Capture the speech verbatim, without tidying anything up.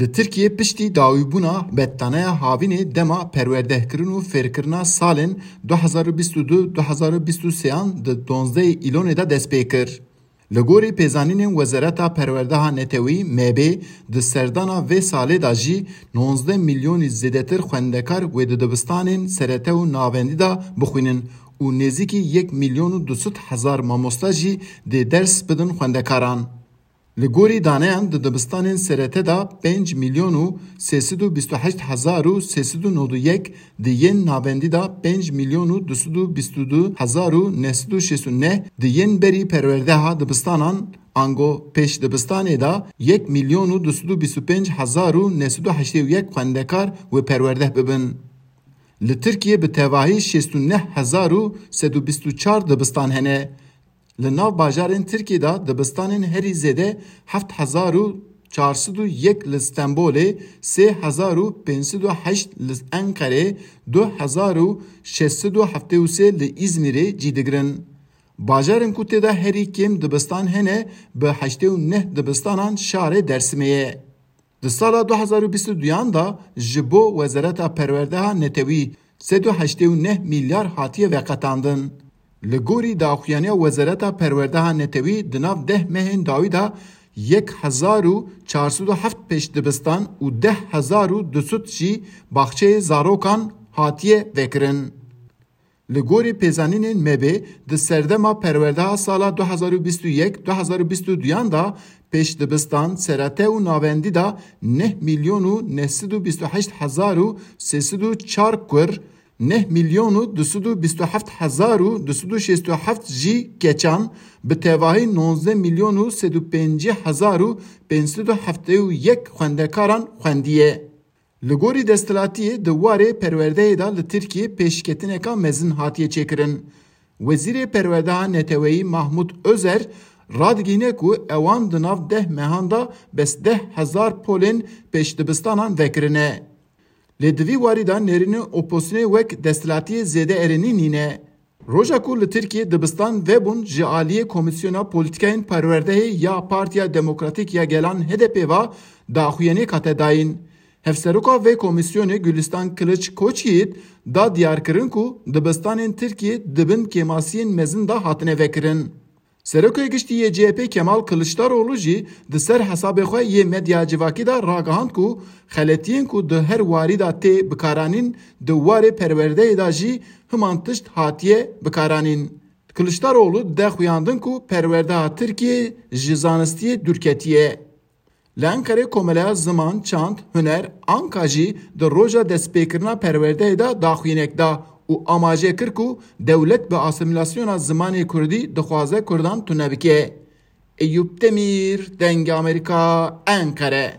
Li Tirkiyê piştî dawîbûna bettaneya havînê dema perwerdehkirin û fêrkirina salên du hezar û bîst û du du hezar û bîst û sê an di donzdehê Îlonê de dest pê kir. Li gorî pêzanînên Wezareta Perwerdeha Netewî, M B, di serdana vê salê de jî nonzdeh milyonî zêdetir xwendekar wê di dibistanên serete û navendî de bixwînin û nêzîkî yek milyon û du sed hezar mamosta jî dê ders bidin xwendekaran. Li gorî daneyan di dibistanên serete de pênc milyon û sê sed û bîst û heşt hezar û sê sed û nod û yek, di yên navendî de pênc milyon û du sed û bîst û du hezar û neh sed û şêst û neh, di yên berî perwerdeha dibistanan ango pêş dibistanê de yek milyon û du sed û bîst û pênc hezar û neh sed û heştê û yek xwendekar wê perwerdeh bibin. Li Tirkiyê bi tevahî şêst û neh hezar û sed û bîst û çar dibistan hene. Li nav bajarên Tirkiyê de dibistanên herî zêde heft hezar û çar sed û yek li Stenbolê, sê hezar û pênc sed û heşt li Enqerê, du hezar û şeş sed û heftê û sê li Îzmîrê cî digirin. Bajarên ku tê de herî kêm dibistan hene, bi heştê û neh dibistanan şarê Dersimê ye. Di sala du hezar û bîst û duyan de ji bo Wezareta Perwerdeha Netewî sed û heştê û neh milyar hatiye veqetandin. Li gorî daxuyaniya Wezareta Perwerdeha Netewî di nav deh mehên dawî de yek hezar û çar sed û heft pêşdibistan û deh hezar û du sed jî baxçeyê zarokan hatiye vekirin. Li gorî pêzanînên M B, di serdema perwerdeha sala du hezar û bîst û yek du hezar û bîst û duyan de pêşdibistan, serete û navendî de neh milyon û neh sed û bîst û heşt hezar û sê sed û çar kur, neh milyon û du sed û bîst û heft hezar û du sed û şêst û heft jî keçan, bi tevahî nonzdeh milyon û sed û pêncî hezar û pênc sed û heftê û yek xwendekaran xwendiye. Li gorî desthilatiyê di warê perwerdeyê de li Tirkiyê pêşketineka mezin hatiye çêkirin. Wezîrê Perwerdeha Neteweyî Mahmut Özer radigihîne ku ewan di nav deh mehan de bes deh hezar polên pêşdibistanan vekirine. Lê di vî warî de nêrînên opozisyonê wek desthilatiyê zêde erênî nîne. Roja ku li Tirkiyê dibistan vebûn ji aliyê Komîsyona Polîtîkayên Perwerdehê ya Partiya Demokratîk ya Gelan H D P ve daxuyaniyek hate dayîn. Hevseroka vê komîsyonê Gulistan Kiliç Koçyiğit da diyarkirin ku dibistanên Tirkiyê di bin kêmasiyên mezin de hatine vekirin. Serokê Giştî yê C H P Kemal Kiliçdaroglu jî di ser hesabê xwe yê medya civakî de ragihand ku xeletiyên ku di her warî de tê bikaranîn di warê perwerdeyê de jî himan tişt hatiye bikaranîn. Kiliçdaroglu de xuyandin ku perwerdeha Tirkiyê ji zanistiyê dûr ketiye. Li Enqerê Komeleya Ziman, Çand, Huner, Anka jî di roja destpêkirina perwerdeyê de daxuyaniyek da û amaje kir ku dewlet bi asîmîlasyona zimanê kurdî dixwaze kurdan tune bike. Eyûp Demîr, Dengê Amerîka, Enqere.